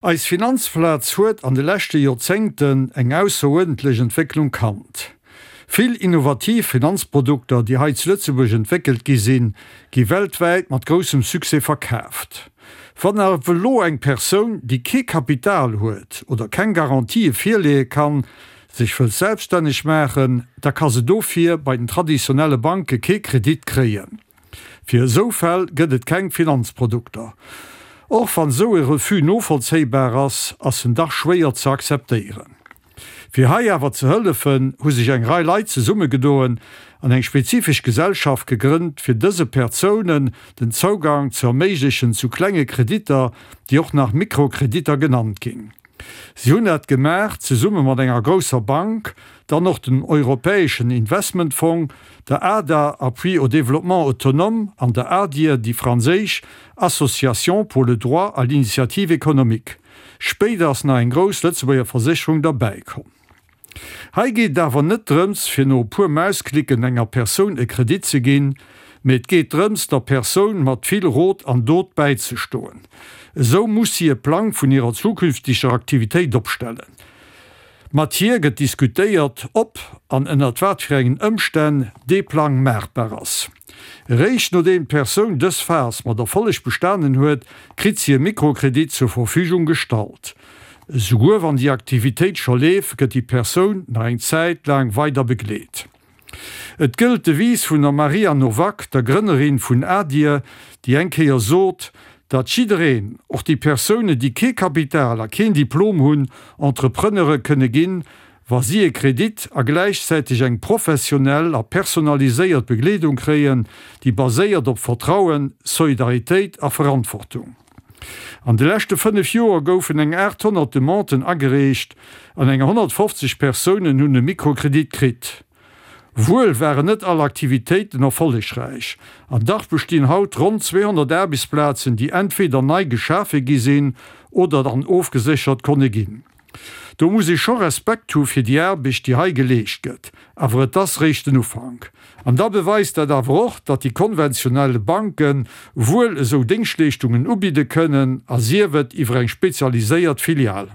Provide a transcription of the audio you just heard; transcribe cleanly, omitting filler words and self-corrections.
Eis Finanzplaz huet an de leschte Joerzéngten eng ausseruerdentlech Entwécklung kannt. Vill innovativ Finanzprodukter, déi hei zu Lëtzebuerg entwéckelt gi sinn, gi weltwäit mat groussem Succès verkaaft. Wann awer elo eng Persoun, déi kee Kapital huet oder keng Garantië virleeë kann, sech wëllt selbststänneg maachen, da ka se dofir bei den traditionelle Banke kee Kredit kréien. Fir esou Fäll gëtt et keng Finanzprodukter. Och wann esou e Refus novollzéibar ass, ass en dach schwéier ze akzeptéieren. Fir hei awer ze hëllefen, hu sech eng Rei Leit zesummegedoen an eng spezifesch Gesellschaft gegrënnt, fir dëse Perzounen den Zougang ze erméiglechen zu klenge Kreditter, déi och nach Mikrokreditter genannt ginn. Si hunn dat gemaach zesumme mat enger grousser Bank, dann och dem Europäeschen Investmentfong, der ADA, Appui au développement autonome, an der ADIE, déi franséisch Association pour le droit à l'initiative économique. Spéider ass nach eng grouss Lëtzebuerger Versécherung derbäikomm. Hei geet et awer net drëms, fir no e puer Mausklicken enger Persoun e Kredit ze ginn, mee et geet drëms, der Persoun mat vill Rot an Dot bäizestoen. Esou muss si e Plang vun hirer zukünfteger Aktivitéit opstellen. Mat hir gëtt diskutéiert, ob an ënnert wat fir engen Ëmstänn dee Plang maachbar ass. Eréischt nodeem d'Persoun dës Phas mat Erfolleg bestanen huet, kritt si e Mikrokredit zur Verfügung gestallt. Esouguer wann déi Aktivitéit scho leeft, gëtt déi Persoun nach eng Zäit laang weider begleet. Et gëllt d'Devise vun der Maria Nowak, der Grënnerin vun ADIR, déi eng Kéier sot, datt jiddereen, och déi Persounen, déi kee Kapital a keen Diplom hunn, Entrepreneure kënne ginn, wa si e Kredit a gläichzäiteg eng professionell a personaliséiert Begleedung kréien, déi baséiert op Vertrauen, Solidaritéit a Verantwortung. An de leschte 5 Joer goufen eng 800 Demanden agereecht an eng 150 Persounen hunn e Mikrokredit kritt. Wuel waren net all Aktivitéiten erfollegräich, an dach bestinn haut ronn 200 Aarbechtsplazen, déi entweder nei geschafe gi sinn oder dann ofgeséchert konne ginn. Do muss ee scho Respekt hu fir déi Aarbecht, déi hei geleescht gëtt. Awer et ass réischt den Ufank. An da beweist dat awer och, datt déi konventionell Banke wuel esou Déngschtleeschtungen ubidde kënnen, a sief et iwwer eng spezialiséiert Filial.